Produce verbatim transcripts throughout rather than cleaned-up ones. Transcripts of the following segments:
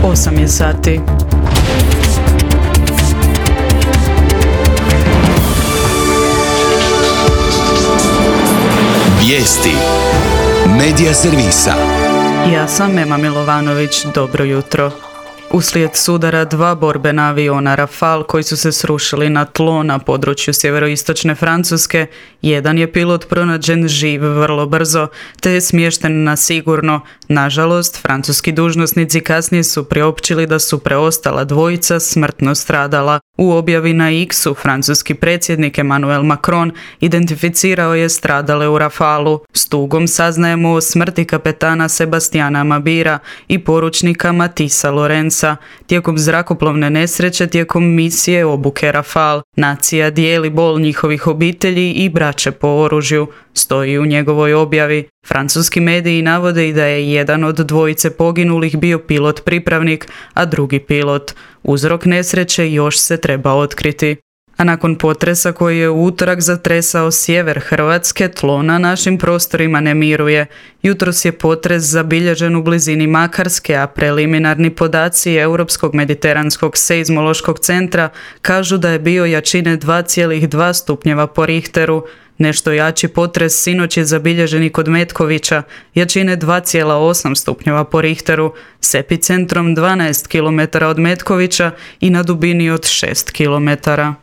osam je sati. Vijesti Medija servisa. Ja sam Ema Milovanović, dobro jutro. Uslijed sudara dva borbena aviona Rafale koji su se srušili na tlo na području sjeveroistočne Francuske, jedan je pilot pronađen živ vrlo brzo, te je smješten na sigurno. Nažalost, francuski dužnosnici kasnije su priopćili da su preostala dvojica smrtno stradala. U objavi na X-u francuski predsjednik Emmanuel Macron identificirao je stradale u Rafalu. S tugom saznajemo o smrti kapetana Sebastiana Mabira i poručnika Matisa Lorenza tijekom zrakoplovne nesreće tijekom misije obuke Rafale. Nacija dijeli bol njihovih obitelji i braće po oružju, stoji u njegovoj objavi. Francuski mediji navode i da je jedan od dvojice poginulih bio pilot pripravnik, a drugi pilot. Uzrok nesreće još se treba otkriti. A nakon potresa koji je u utorak zatresao sjever Hrvatske, tlo na našim prostorima ne miruje. Jutros je potres zabilježen u blizini Makarske, a preliminarni podaci Europskog mediteranskog seizmološkog centra kažu da je bio jačine dva zarez dva stupnjeva po Richteru. Nešto jači potres sinoć je zabilježen i kod Metkovića, jačine dva zarez osam stupnjeva po Richteru, s epicentrom dvanaest kilometara od Metkovića i na dubini od šest kilometara.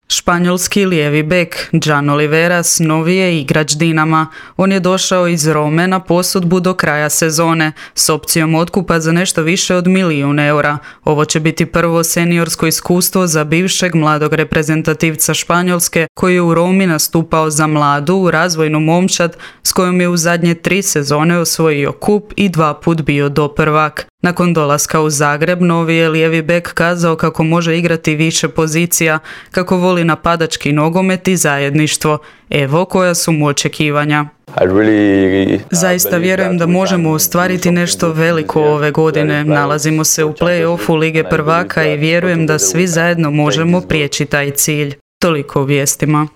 Španjolski lijevi bek Jan Oliveras novi je igrač Dinama. On je došao iz Rome na posudbu do kraja sezone s opcijom otkupa za nešto više od milijun eura. Ovo će biti prvo seniorsko iskustvo za bivšeg mladog reprezentativca Španjolske koji je u Romi nastupao za mladu razvojnu momčad s kojom je u zadnje tri sezone osvojio kup i dva put bio doprvak. Nakon dolaska u Zagreb, novi je lijevi bek kazao kako može igrati više pozicija, kako voli napadački nogomet i zajedništvo. Evo koja su mu očekivanja. Zaista vjerujem da možemo ostvariti nešto veliko ove godine. Nalazimo se u play-offu Lige prvaka i vjerujem da svi zajedno možemo prijeći taj cilj. Toliko o vijestima.